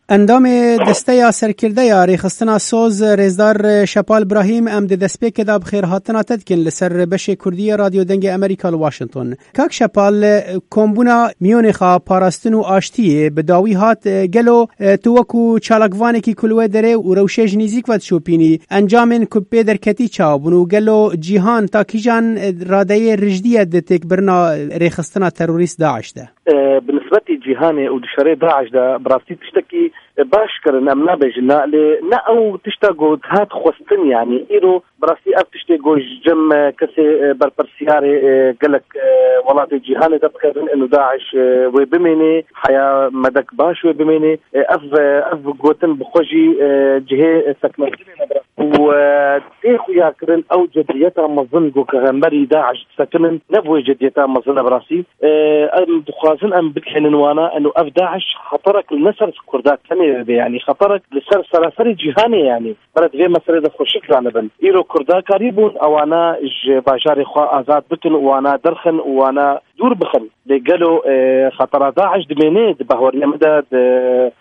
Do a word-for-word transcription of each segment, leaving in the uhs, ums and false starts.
Endamê Desteya Serkirde ya Rêxistina Soz, Rêzdar Şepal Brahîm, em di destpêkê de bi xêrhatina te dikin li ser beşê Kurdî ya Radyo Dengê Amerîka li Washington. Kak Şepal, kombûna Miyonêxa Parastin û Aştiyê bi dawî hat, gelo tu wekû çalakvanekî ku li wê derê û rewşê ji nîzîk ve dişopînî, encamên ku pê derketî çawa bûn û gelo cîhan ta kîjan radeyê rijdiye di têkbirina rêxistina terorîst DAIŞ de? E, bi nisbetî cîhanê û di şerê DAIŞ de bi rastî tiştekî, e, baş kirin, em nabêjin na, lê ne ew tişta ku hat xwestin, yanî îro bi rastî ev tiştê ku ji cem, e, kesê, e, berpirsiyarê, e, gelek, e, welatê cîhanê de bikevin, û DAIŞ, e, wê bimênê, heya medek baş wê bimênê. E, ev, e, ev gotin bi xwe jî, e, cihê, e, sekmestinê ne bi rastî. Û, e, tê xuyakirin ew cediyeta mezin ku hemberî DAIŞ disekinin, ne bi wê cediyeta mezin e bi rastî. E, em dixwazin em bigihînin wana, eno ev DAIŞ xeterek li ne ser Kurda tenê be, yanî xeterek li ser seraserê cîhanê, yanî. Bere di vê meselê de xweşik zanibin. Îro Kurda karîbûn ewana ji bajarê xwe azad bikin û wana derxin û wana dûr bixin. Lê gelo, e, xetera DAIŞ dimêne di bahweriya min de, di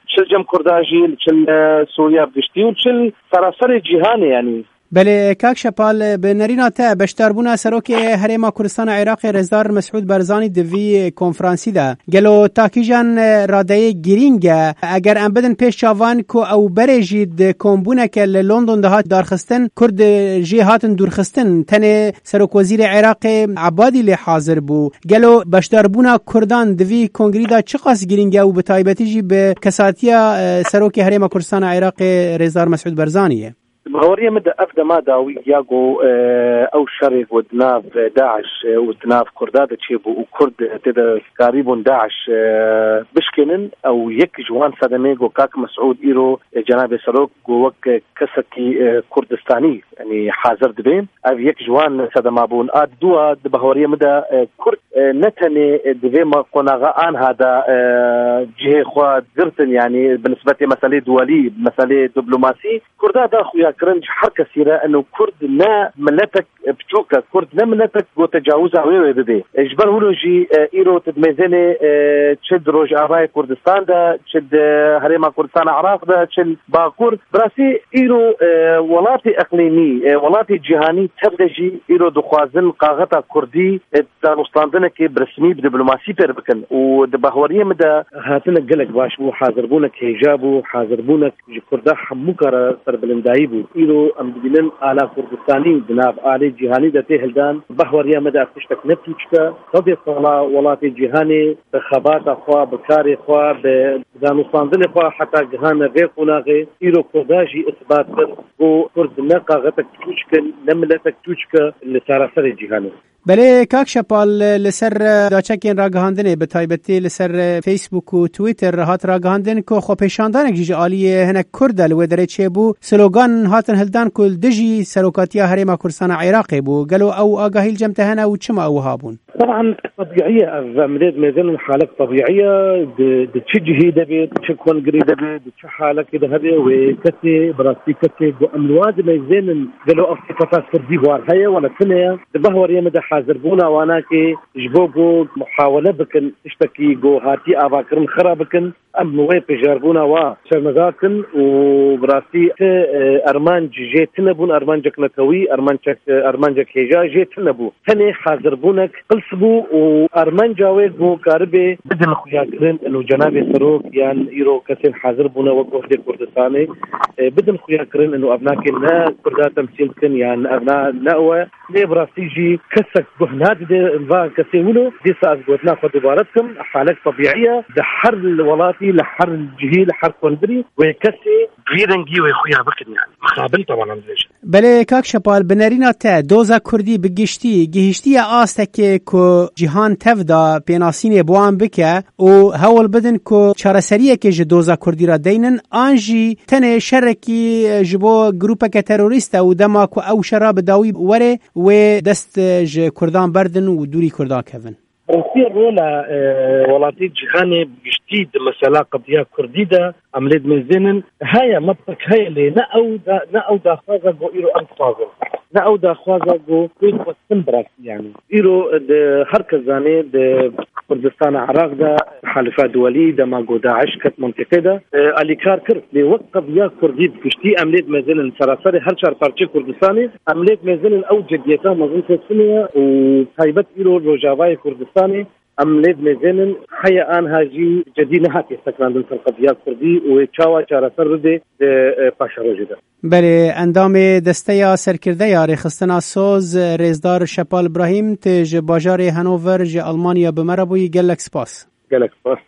çil cem Kurda jî, li çil, e, Sûriya bi giştî û çil seraserê cîhanê, yanî. Belê, kak Şepal, bi nerîna te beşdarbûna Serokê Herêma Kurdistana Iraqê Rêzdar Mesûd Barzanî di vî konferansî de gelo ta kîjan radeyê girîng e? Eger em bidin pêş çavan ku ew berê jî di kombûneke li London de hat darxistin, Kurd jê hatin dûrxistin, tenê Serokwezîrê Iraqê Ebadî lê hazir bû. Gelo beşdarbûna Kurdan di vî kongrî de çiqas girîng e û bi taybetî jî bi kesatiya, e, Serokê Herêma Kurdistana Iraqê Rêzdar Mesûd Barzanî ye? Di baweriya min de ev dema dawî ya ku, e, ew şerê ku di nav, e, DAIŞ, e, û di nav Kurda de çêbû û Kurd, e, tê de karîbûn DAIŞ, e, bişkênin, ew yek ji wan sedemê ku kak Mesûd îro, e, cenabê Serok ku wek, e, kesekî, e, Kurdistanî, yanî hazir dibe. Ev yek ji wan sedema bûn. A dua di baweriya min de, e, Kurd, e, ne tenê, e, di vê ma-, qonaxa anha de, e, cihê xwe girtin, yanî bi nisbetê meselê duwelî, meselê diplomasî, Kurda da xuya kirin ji her kesî re, eno Kurd ne miletek biçûk e, Kurd ne miletek ku tecawiza wê wê bibe. E, ji ber wilo jî, e, îro tu dimêzênê, e, çi di Rojavayê Kurdistan de, çi di Herêma Kurdistana Iraq de, çi li Bakur. Bi rastî îro, e, welatê eqlîmî, e, welatê cîhanî tev de jî îro dixwazin kaxeta Kurdî, e, danûstandinekê bi resmî, bi diplomasî pêr bikin û di bahweriyê min de hatine gelek baş bû, hazirbûnek hêja bû, hazirbûnek ji Kurda hemû kara serbilindayî bû. Îro em dibînin ala Kurdistanî di nav alê cîhanî de tê hildan. Bahweriya me de ev tiştek ne tûçik e. Sedê sala welatê cîhanê bi xebata xwe, bi karê xwe, bi danûstandinê xwe heta gihane vê qonaxê. Îro Kurda jî îsbat kir ku Kurd ne kaxetek tûçik in, ne miletek tûçik e li saraserê cîhanê. Belê, kak Şepal, li ser, e, daçekên ragihandinê, bi taybetî li ser, e, Facebook û Twitter hat ragihandin ku xwepêşandanek jî ji aliyê hinek Kurd de li wê derê çêbû, slogan hatin hildan ku li dijî serokatiya Herêma Kurdistana Iraqê bû. Gelo ew agahî li cem te hene û çima ew wiha bûn? Teban, tebîî ye, ev em lê dimêzin halek tebîî ye, di, di çi cihî de bê, di çi kongrî de bê, di çi halekê de hebe, wê kesê, bi rastî kesê ku em li wa dimêzênin, gelo ev sifeta Kurdî war heye, wala tune ye. Di bahweriyê min de hazirbûna wanakê ji bo ku muhawele bikin, tiştekî ku hatî avakirin xira bikin, em wê pijarbûna wa şermezar kin û bi rastî ti, e, armanc jê tune bûn, armancek netewî, armancek, e, armancek hêja jê tune bû. Tenê hazirbûnek qirs bû û armanca wê ku karibê bidin xuyakirin, û cenabê Serok yan îro kesên hazir bûne wek Ohdê Kurdistanê, e, bidin xuyakirin, û ev nake ne Kurda temsîl dikin yan ev na, ne ew e. Lê bi rastî jî kesek guh nadide va kesê wilo, dîsa ez gotina xwe dubare dikim, halek tebîî ye, di her welatî, li her cihî, li her kongrî wê kesê vî rengî wê xuya bikin, yani. Mixabin tewanan dibêjin. Belê, kak Şepal, bi nerîna te, doza Kurdî bi giştî gihîştiye astekê ku cîhan tev da pênasînê bi wan bike û hewl bidin ku çareseriyekê ji doza Kurdî re deynin, an jî tenê şerekî ji bo grûpeke terorîst e û dema ku ew şera bi dawî were, wê dest ji Kurdan berdin û dûrî Kurdan kevin? Rastî rola, e, welatê cîhanê bi giştî di mesela qediya Kurdî de em lê dimêzênin. Heye, mebtek heye, lê ne ew da, ne ew daxwaza ku îro em dixwazin. Ne ew daxwaza ku wê xwestin birastiye. Îro di her kes zanê di Kurdistana Iraq de halifa duwelî dema ku DAIŞ ket mintîqê de, e, alîkar kir. Lê wek qediya Kurdî bi giştî em lê dimezênin seraserê her çar parçeyê Kurdistanê, em lê dimezênin ew cediyeta mezin teslimê ye û taybet îro Rojavayê Kurdistanê em lê dimezênin heye anha jî cedî nehatiye sekinandin ser qediya Kurdî û wê çawa çareser bibe di, e, paşerojê de. Belê, endamê Desteya Serkirde ya Rêxistina Soz, Rêzdar Şepal Brahîm, tê ji bajarê Hanover ji Almanya bi me re bûyî. Gelek spas. Gelek spas.